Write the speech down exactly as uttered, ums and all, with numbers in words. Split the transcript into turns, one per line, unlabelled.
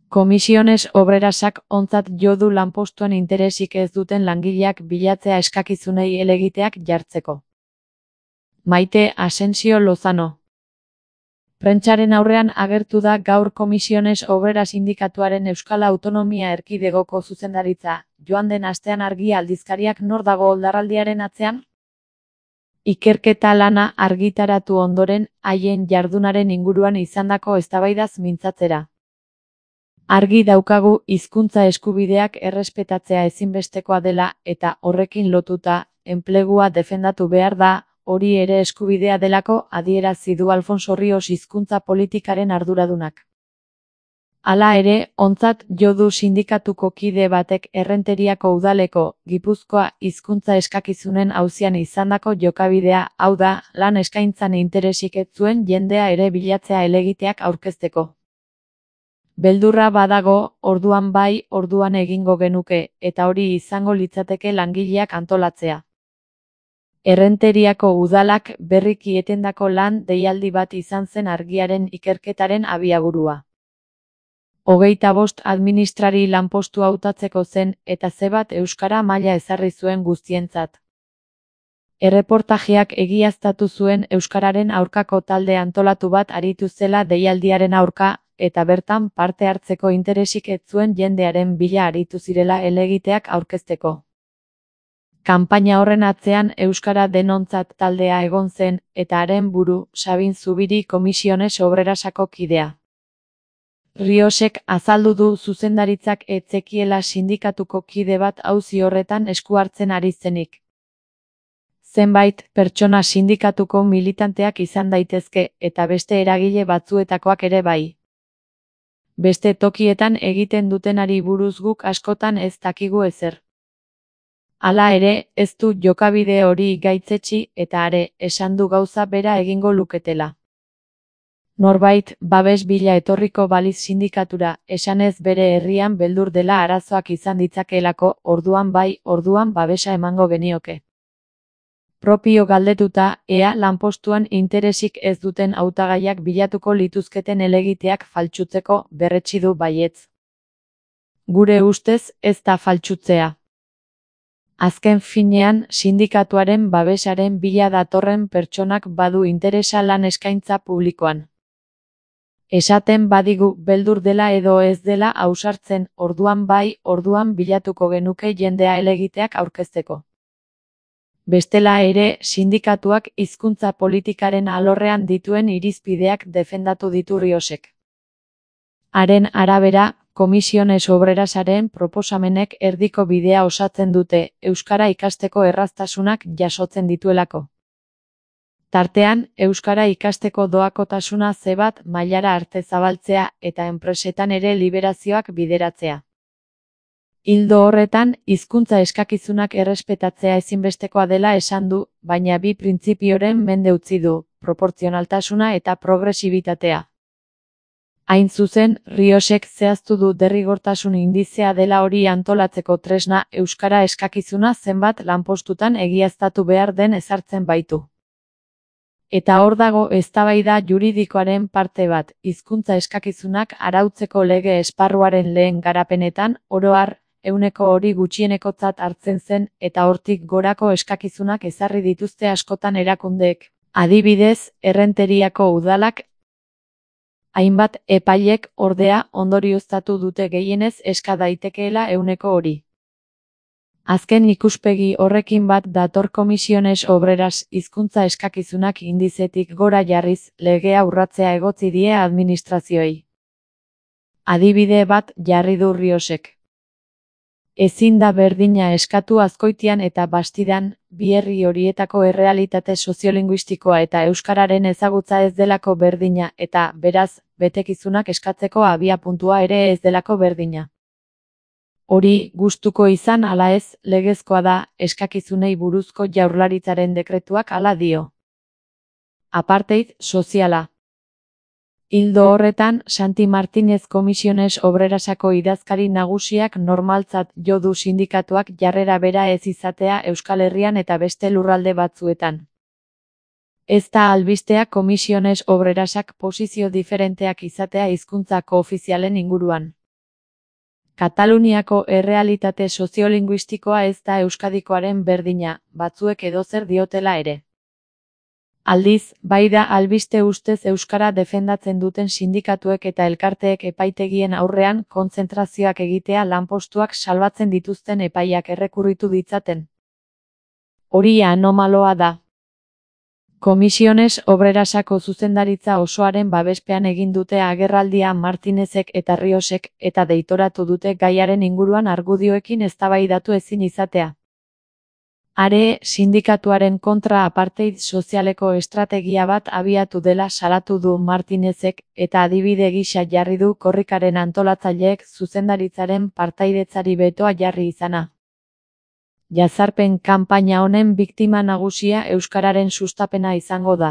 Komisiones Obrerasak ontzat jo du lanpostuen interesik ez duten langileak bilatzea eskakizunei helegiteak jartzeko. Maite Asensio Lozano. Prentsaren aurrean agertu da gaur Komisiones Obrera Sindikatuaren Euskal Autonomia Erkidegoko zuzendaritza, joan den astean Argi aldizkariak nor dago oldarraldiaren atzean? Ikerketa lana argitaratu ondoren, haien jardunaren inguruan izandako eztabaidaz mintzatzera. Argi daukagu hizkuntza eskubideak errespetatzea ezinbestekoa dela eta horrekin lotuta, enplegua defendatu behar da, hori ere eskubidea delako adierazi du Alfonso Rios hizkuntza politikaren arduradunak. Hala ere, ontzat jo du sindikatuko kide batek Errenteriako udaleko, Gipuzkoa hizkuntza eskakizunen auzian izandako jokabidea, hau da, lan eskaintzan interesik ez zuen jendea ere bilatzea helegiteak aurkezteko. Beldurra badago, orduan bai, orduan egingo genuke, eta hori izango litzateke langileak antolatzea. Errenteriako udalak berriki etendako lan deialdi bat izan zen Argiaren ikerketaren abiaburua. Hogeita bost administrari lanpostu hautatzeko zen eta zebat euskara maila ezarri zuen guztientzat. Erreportajeak egiaztatu zuen euskararen aurkako talde antolatu bat aritu zela deialdiaren aurka, eta bertan parte hartzeko interesik ez zuen jendearen bila aritu zirela helegiteak aurkezteko. Kanpaina horren atzean euskara denontzat taldea egon zen, eta haren buru, Sabin Zubiri Komisiones Obrerasako kidea. Riosek azaldu du zuzendaritzak ez zekiela sindikatuko kide bat auzi horretan esku hartzen ari zenik. Zenbait pertsona sindikatuko militanteak izan daitezke eta beste eragile batzuetakoak ere bai. Beste tokietan egiten dutenari buruz guk askotan ez dakigu ezer. Hala ere, ez du jokabide hori gaitzetsi eta are, esan du gauza bera egingo luketela. Norbait, babes bila etorriko baliz sindikatura, esanez bere herrian beldur dela arazoak izan ditzakeelako, orduan bai, orduan babesa emango genioke. Propio galdetuta, ea lanpostuan interesik ez duten hautagaiak bilatuko lituzketen helegiteak faltsutzeko berretsi du baietz. Gure ustez, ez da faltsutzea. Azken finean, sindikatuaren babesaren bila datorren pertsonak badu interesa lan eskaintza publikoan. Esaten badigu beldur dela edo ez dela ausartzen, orduan bai, orduan bilatuko genuke jendea helegiteak aurkezteko. Bestela ere, sindikatuak hizkuntza politikaren alorrean dituen irizpideak defendatu ditu Riosek. Haren arabera, Komisiones Obrerasaren proposamenek erdiko bidea osatzen dute, euskara ikasteko erraztasunak jasotzen dituelako. Tartean, euskara ikasteko doakotasuna zebat mailara arte zabaltzea eta enpresetan ere liberazioak bideratzea. Ildo horretan, hizkuntza eskakizunak errespetatzea ezinbestekoa dela esan du, baina bi printzipioren mende utzi du, proportzionaltasuna eta progresibitatea. Hain zuzen, Riosek zehaztu du derrigortasun indizea dela hori antolatzeko tresna euskara eskakizuna zenbat lanpostutan egiaztatu behar den ezartzen baitu. Eta hor dago eztabaida juridikoaren parte bat, hizkuntza eskakizunak arautzeko lege esparruaren lehen garapenetan, oro har, ehuneko hori gutxienekotzat hartzen zen eta hortik gorako eskakizunak ezarri dituzte askotan erakundeek. Adibidez, Errenteriako udalak, hainbat epailek ordea ondorioztatu dute gehienez eska daitekeela ehuneko hori. Azken ikuspegi horrekin bat dator Komisiones Obreras hizkuntza eskakizunak indizetik gora jarriz legea urratzea egotzi die administrazioei. Adibide bat jarri du Riosek. Ezin da berdina eskatu Azkoitian eta Bastidan, bi herri horietako errealitate soziolinguistikoa eta euskararen ezagutza ez delako berdina eta, beraz, betekizunak eskatzeko abiapuntua ere ez delako berdina. Hori, gustuko izan ala ez, legezkoa da, eskakizunei buruzko Jaurlaritzaren dekretuak hala dio. Apartheid soziala. Ildo horretan, Santi Martínez Komisiones Obrerasako idazkari nagusiak normaltzat jo du sindikatuak jarrera bera ez izatea Euskal Herrian eta beste lurralde batzuetan. Ez da albistea Komisiones Obrerasak posizio diferenteak izatea hizkuntza koofizialen inguruan. Kataluniako errealitate soziolinguistikoa ez da Euskadikoaren berdina, batzuek edozer diotela ere. Aldiz, bai da albiste ustez euskara defendatzen duten sindikatuek eta elkarteek epaitegien aurrean kontzentrazioak egitea lanpostuak salbatzen dituzten epaiak errekurritu ditzaten. Hori anomaloa da. Komisiones Obrerasako zuzendaritza osoaren babespean egin dute agerraldia Martinezek eta Riosek eta deitoratu dute gaiaren inguruan argudioekin eztabaidatu ezin izatea. Are, sindikatuaren kontra apartheid sozialeko estrategia bat abiatu dela salatu du Martinezek eta adibide gisa jarri du korrikaren antolatzaileek zuzendaritzaren partaidetzari betoa jarri izana. Jazarpen kanpaina honen biktima nagusia euskararen sustapena izango da.